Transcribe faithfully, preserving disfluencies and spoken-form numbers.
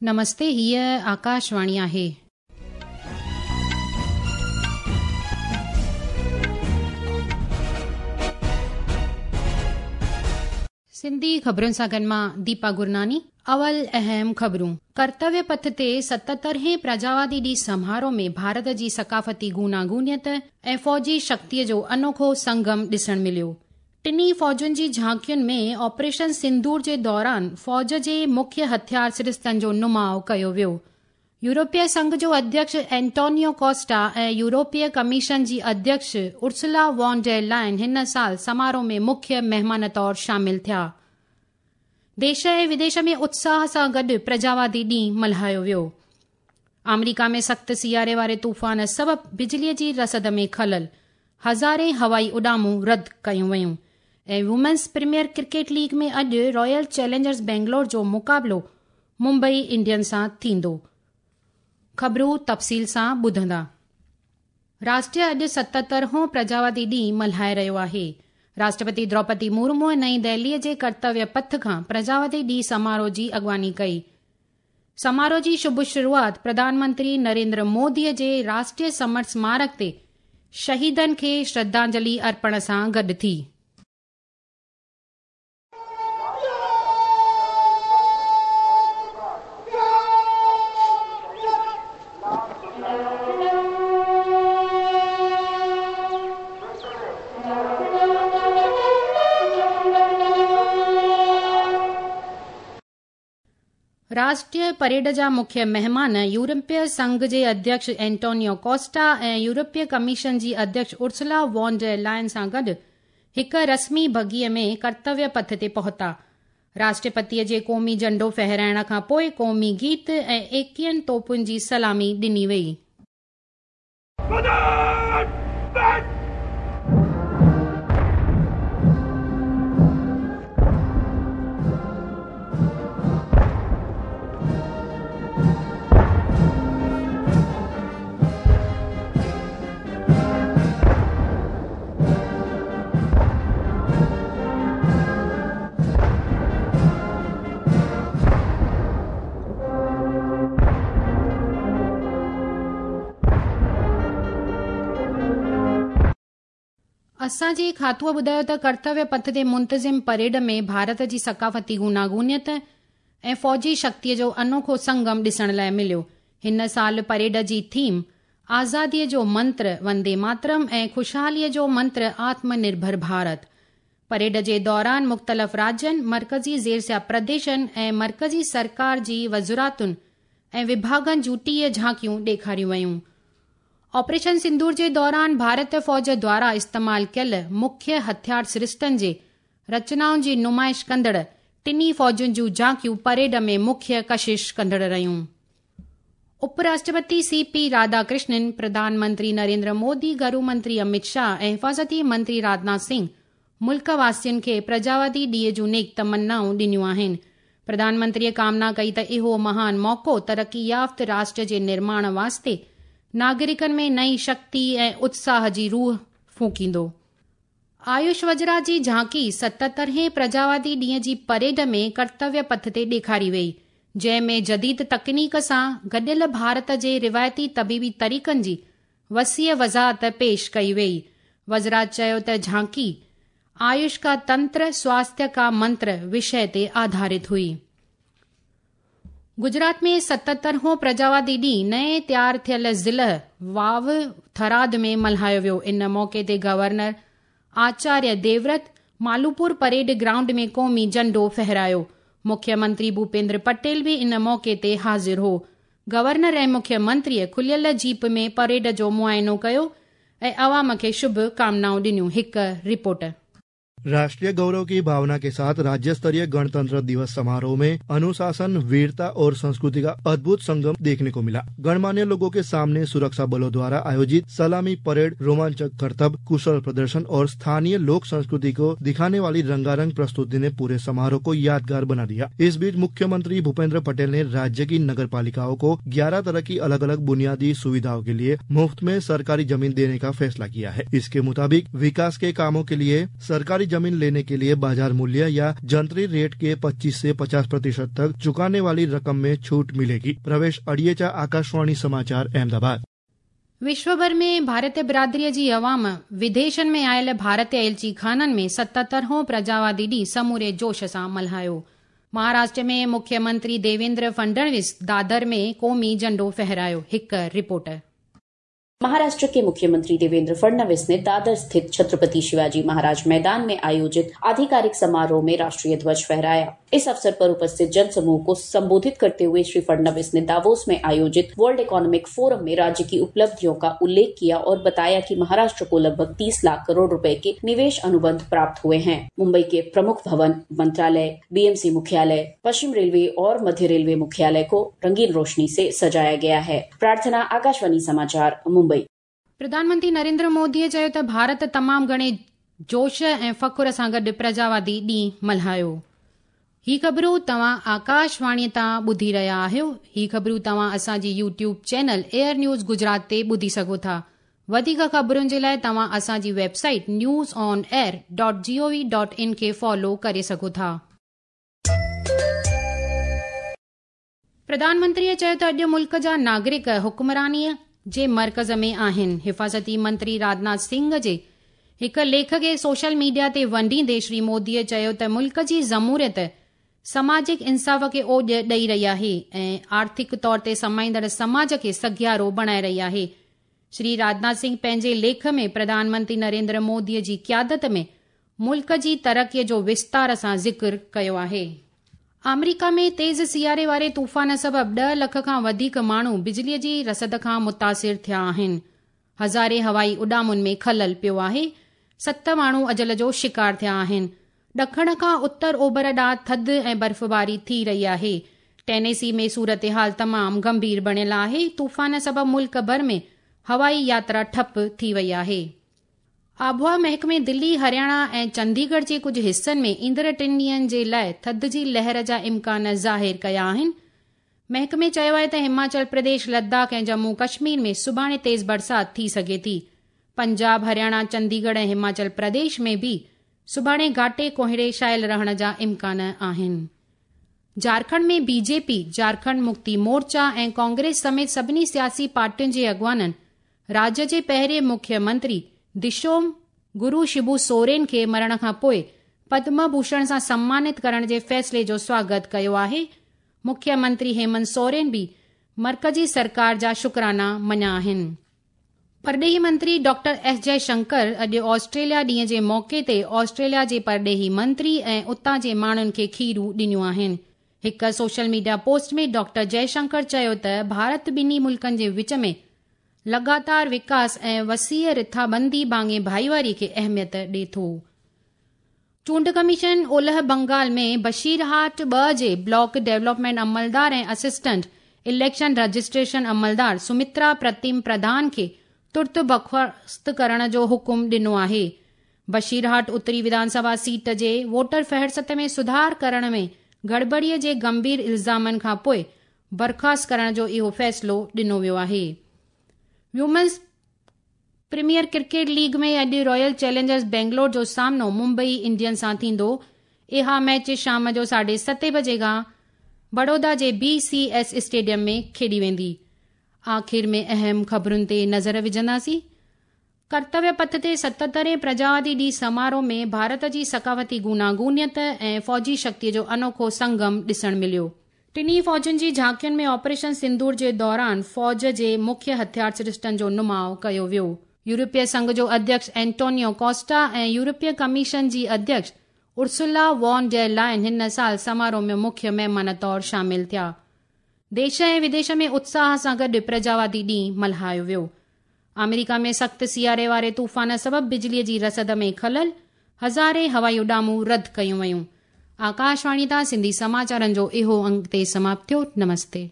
नमस्ते, हीअ आकाशवाणी आहे। सिंधी ख़बरुनि सां गॾु मां दीपा गुरनानी। अवल अहम ख़बरूं। कर्तव्य पथ ते सतहतरहें प्रजावादी ॾींहुं समारोह में भारत जी सकाफ़ती गूनागूनियत ऐं फ़ौजी शक्तिअ जो अनोखो संगम ॾिसण मिलियो। टिन्ही फ़ौजुनि जी झांकियुनि में ऑपरेशन सिंदूर जे दौरान फ़ौज जे मुख्य हथियार सरिस्तनि जो नुमाउ कयो वियो। यूरोपीय संघ जो अध्यक्ष एंटोनियो कोस्टा ऐं यूरोपीय कमीशन जी अध्यक्ष उर्सुला वॉन डेर लायन हिन साल समारोह में मुख्य महिमान तौर शामिल थिया। देश ऐं विदेश में उत्साह सां गॾु प्रजावादी ॾींहुं मल्हायो वियो। आमेरिका में सख़्तु सियारे वारे तूफ़ान सबबि बिजलीअ जी रसद में ख़लल, हज़ारे हवाई उॾामूं रद्द कयूं वयूं। ऐं वुमेन्स प्रीमियर क्रिकेट लीग में अॼु रॉयल चैलेंजर्स बेंगलोर जो मुक़ाबिलो मुंबई इंडियंस सां थींदो। ख़बरूं तफ़सील सां ॿुधंदा। राष्ट्र अॼु सतहतरहें प्रजावादी ॾींहुं मल्हाए रहियो आहे। राष्ट्रपति द्रौपदी मुर्मू नई दिल्लीअ जे कर्तव्य पथ खां प्रजावादी ॾींहुं समारोह जी अॻुवानी कई। समारोह जी शुभ शुरूआत प्रधानमंत्री नरेंद्र मोदीअ जे राष्ट्रीय समर स्मारक ते शहीदनि खे श्रद्धांजलि अर्पण सां गॾु थी। राष्ट्रीय परेड जा मुख्य महिमान यूरोपीय संघ जे अध्यक्ष एंटोनियो कोस्टा ऐं यूरोपीय कमीशन जी अध्यक्ष उर्सुला वॉन डेर लायन सां गॾु हिकु रस्मी बगीअ में कर्तव्य पथ ते पहुता। राष्ट्रपतीअ जे क़ौमी झंडो फहराइण खां पोइ क़ौमी गीत ऐं एकवीहनि तोपुनि जी सलामी ॾिनी वई। असांजे खातूअ ॿुधायो त कर्तव्य पथ ते मुंतज़िम परेड में भारत जी सकाफ़ती गूनागूनियत ऐं फ़ौजी शक्तिअ जो अनोखो संगम ॾिसण लाइ मिलियो। हिन साल परेड जी थीम आज़ादीअ जो मंत्र वंदे मातरम ऐं ख़ुशहालीअ जो मंत्र आत्मनिर्भर भारत। परेड जे दौरान मुख़्तलिफ़ राज्यनि, मर्कज़ी ज़ेरसिया प्रदेशनि ऐं मर्कज़ी सरकार जी वज़ारतुनि ऐं विभागनि जूं टीह झांकियूं ॾेखारियूं वयूं। ऑपरेशन सिंदूर जे दौरान भारत फ़ौज द्वारा इस्तेमाल कयल मुख्य हथियार सरिस्तनि जे रचनाउनि जी नुमाइश कंदड़ टिन्ही फ़ौजुनि जूं झांकियूं परेड में मुख्य कशिश कंदड़ रहियूं। उपराष्ट्रपति सी पी राधाकृष्णन, प्रधानमंत्री नरेंद्र मोदी, घरू मंत्री अमित शाह ऐं हिफाज़ती मंत्री राजनाथ सिंह मुल्क वासियुनि खे प्रजावादी ॾींहं जूं नेक तमन्नाऊं ॾिनियूं आहिनि। प्रधानमंत्रीअ कामना कई त इहो महान मौक़ो तरक़ी याफ़्त राष्ट्र जे निर्माण वास्ते नागरिकनि में नई शक्ति ऐं उत्साह जी रूह फूंकींदो। आयुष वज्रा जी झांकी सतहतरहें प्रजावादी ॾींहं जी परेड में कर्तव्य पथ ते ॾेखारी वई, जंहिं में जदीद तकनीक सां गॾियल भारत जे रिवायती तबीबी तरीक़नि जी वसीअ वज़ाहत पेश कई वई। वज़रात चयो त झांकी आयुष का तंत्र स्वास्थ्य का मंत्र विषय ते आधारित हुई। गुजरात में सतहतरहें प्रजावादी ॾींहुं नए तयार थियल ज़िला वाव थराद में मल्हायो वियो। इन मौक़े ते governor Acharya Devvrat Malupur parade ground में क़ौमी झंडो फहरायो। मुख्यमंत्री भूपेंद्र पटेल बि इन मौक़े ते हाज़िर हो। गवर्नर ऐं मुख्यमंत्रीअ खुलियल जीप में परेड जो मुआइनो कयो ऐं अवाम खे शुभ कामनाऊं ॾिनियूं। हिकु रिपोर्ट। राष्ट्रीय गौरव की भावना के साथ राज्य स्तरीय गणतंत्र दिवस समारोह में अनुशासन, वीरता और संस्कृति का अद्भुत संगम देखने को मिला। गणमान्य लोगों के सामने सुरक्षा बलों द्वारा आयोजित सलामी परेड, रोमांचक करतब, कुशल प्रदर्शन और स्थानीय लोक संस्कृति को दिखाने वाली रंगारंग प्रस्तुति ने पूरे समारोह को यादगार बना दिया। इस बीच मुख्यमंत्री भूपेंद्र पटेल ने राज्य की नगर पालिकाओं को ग्यारह तरह की अलग अलग बुनियादी सुविधाओं के लिए मुफ्त में सरकारी जमीन देने का फैसला किया है। इसके मुताबिक विकास के कामों के लिए सरकारी जमीन लेने के लिए बाजार मूल्य या जंत्री रेट के पच्चीस से पचास प्रतिशत तक चुकाने वाली रकम में छूट मिलेगी। प्रवेश अड़ियेचा, आकाशवाणी समाचार, अहमदाबाद। विश्वभर में भारतीय बिरादरीअ जी अवाम विदेशनि में आयल भारतीय एलची खाननि में सतहतरहों प्रजावादी ॾींहुं समूरे जोश सां मल्हायो। महाराष्ट्र में मुख्यमंत्री देवेंद्र फडणवीस दादर में क़ौमी झंडो फहरायो। हिकु रिपोर्ट। महाराष्ट्र के मुख्यमंत्री देवेंद्र फडणवीस ने दादर स्थित छत्रपति शिवाजी महाराज मैदान में आयोजित आधिकारिक समारोह में राष्ट्रीय ध्वज फहराया। इस अवसर पर उपस्थित जनसमूह को संबोधित करते हुए श्री फडणवीस ने दावोस में आयोजित वर्ल्ड इकोनॉमिक फोरम में राज्य की उपलब्धियों का उल्लेख किया और बताया कि महाराष्ट्र को लगभग तीस लाख करोड़ रुपए के निवेश अनुबंध प्राप्त हुए हैं। मुंबई के प्रमुख भवन, मंत्रालय, बीएमसी मुख्यालय, पश्चिम रेलवे और मध्य रेलवे मुख्यालय को रंगीन रोशनी से सजाया गया है। प्रार्थना, आकाशवाणी समाचार, मुंबई। प्रधानमंत्री नरेंद्र मोदीअ चयो त भारत तमाम घणे जोश ऐं फ़ख्र सां गॾु प्रजावादी ॾींहुं मल्हायो। ही ख़बरूं तव्हां आकाशवाणी तां ॿुधी रहिया आहियो। ही ख़बरूं तव्हां असांजी YouTube channel air news Gujarat ते ॿुधी सघो था। वधीक ख़बरुनि जे लाइ तव्हां असांजी website news on air dot G O V dot in खे फॉलो करे सघो था। प्रधानमंत्रीअ चयो त अॼु मुल्क जा नागरिक हुक्मरानीअ जे मर्कज़ में आहिनि। हिफाज़ती मंत्री राजनाथ सिंह जे हिकु लेख खे सोशल मीडिया ते वंडींदे श्री मोदीअ चयो त मुल्क जी जमहूरियत सामाजिक इंसाफ़ खे ओॼ ॾेई रही आहे ऐं आर्थिक तौर ते समाईंदड़ समाज खे सघियारो बणाए रही आहे। श्री राजनाथ सिंह पंहिंजे लेख में प्रधानमंत्री नरेंद्र मोदीअ जी क़यादत में मुल्क जी तरक़ीअ जो विस्तार सां ज़िक्र कयो आहे। आमेरिका में तेज़ सियारे वारे तूफ़ान सबबि ॾह लख खां वधीक माण्हू बिजलीअ जी रसद खां मुतासिर थिया आहिनि। हज़ारे हवाई उॾामुनि में ख़लल पियो आहे। सत माण्हू अजल जो शिकार थिया आहिनि। ॾखण खां उत्तर ओभर ॾांहुं थधि ऐं बर्फ़बारी थी रही आहे। टेनेसी में सूरत हाल तमामु गंभीर बणियल आहे। तूफ़ान सबबि मुल्क भर में हवाई यात्रा ठप थी वई आहे। आबहवा महकमे दिल्ली, हरियाणा ऐं चंडीगढ़ जे कुझु हिसनि में ईंदड़ टिनि ॾींहंनि जे लाइ थधि जी लहर जा इम्कान ज़ाहिर कया आहिनि। महकमे चयो आहे त हिमाचल प्रदेश, लद्दाख ऐं जम्मू कश्मीर में सुभाणे तेज़ बरसाति थी सघे थी। पंजाब, हरियाणा, चंडीगढ़ ऐं हिमाचल प्रदेश में बि सुभाणे घाटे कोहिड़े छायल रहण जा इम्कान आहिनि। झारखंड में बीजेपी, झारखंड मुक्ति मोर्चा ऐं कांग्रेस समेत सभिनी सियासी पार्टियुनि जे अॻवाननि राज्य जे पहिरें मुख्यमंत्री दिशोम गुरू शिबू सोरेन खे मरण खां पोइ पद्म भूषण सां सम्मानित करण जे फ़ैसिले जो स्वागत कयो आहे। मुख्यमंत्री हेमंत सोरेन बि मर्कज़ी सरकार जा शुक्राना मञिया आहिनि। परॾेही मंत्री डॉक्टर एस जयशंकर अॼु ऑस्ट्रेलिया ॾींहं जे मौक़े ते ऑस्ट्रेलिया जे परॾेही मंत्री ऐं उतां जे माण्हुनि खे खीरूं ॾिनियूं आहिनि। हिकु social media post में डॉक्टर जयशंकर चयो त भारत ॿिन्ही मुल्कनि जे विच में लगातार विकास ऐं वसीअ रिथाबंदी भाङे भाईवारी खे अहमियत ॾिए थो। चूंड कमीशन ओलह बंगाल में बशीरहाट ॿ जे ब्लॉक डेवलपमेंट अमलदार ऐं असिस्टेंट इलेक्शन रजिस्ट्रेशन अमलदार सुमित्रा प्रतिम प्रधान खे तुर्त बर्खास्त करण जो हुकुम ॾिनो आहे। बशीरहाट उत्तरी विधानसभा सीट जे वोटर फहरिस्त में सुधार करण में गड़बड़ीअ जे गंभीर इल्ज़ामनि खां पोइ बर्खास्त करण जो इहो फ़ैसिलो ॾिनो वियो आहे। वुमेन्स प्रीमियर क्रिकेट लीग में अॼु रॉयल चैलेंजर्स बेंगलोर जो सामनो मुंबई इंडियंस सां थींदो। इहा मैच शाम जो साढे सते बजे खां बड़ौदा जे बी सी एस स्टेडियम में खेॾी वेंदी। आख़िर में अहम ख़बरुनि ते नज़र विझंदासीं। कर्तव्य पथ ते सतहतरें प्रजावादी ॾींहुं समारोह में भारत जी सकाफ़ती गुनागुनियत ऐं फ़ौजी शक्तिअ जो अनोखो संगम ॾिसण मिलियो। टिन्ही फ़ौजुनि जी झांकियुनि में ऑपरेशन सिंदूर जे दौरान फ़ौज जे मुख्य हथियार सरिश्तनि जो नुमाउ कयो वियो। यूरोपीय संघ जो अध्यक्ष एंटोनियो कोस्टा ऐं यूरोपीय कमीशन जी अध्यक्ष उर्सुला वॉन डेर लायन हिन साल समारोह में मुख्य महिमान तौर शामिल थिया। देश ऐं विदेश में उत्साह सां गॾु प्रजावादी ॾींहुं मल्हायो वियो। आमेरिका में सख़्तु सियारे वारे तूफ़ान सबबि बिजलीअ जी रसद में ख़लल, हज़ारे हवाई उॾामूं रद्द कयूं वयूं। आकाशवाणी तां सिंधी समाचारनि जो इहो अंक ते समाप्त थियो। नमस्ते।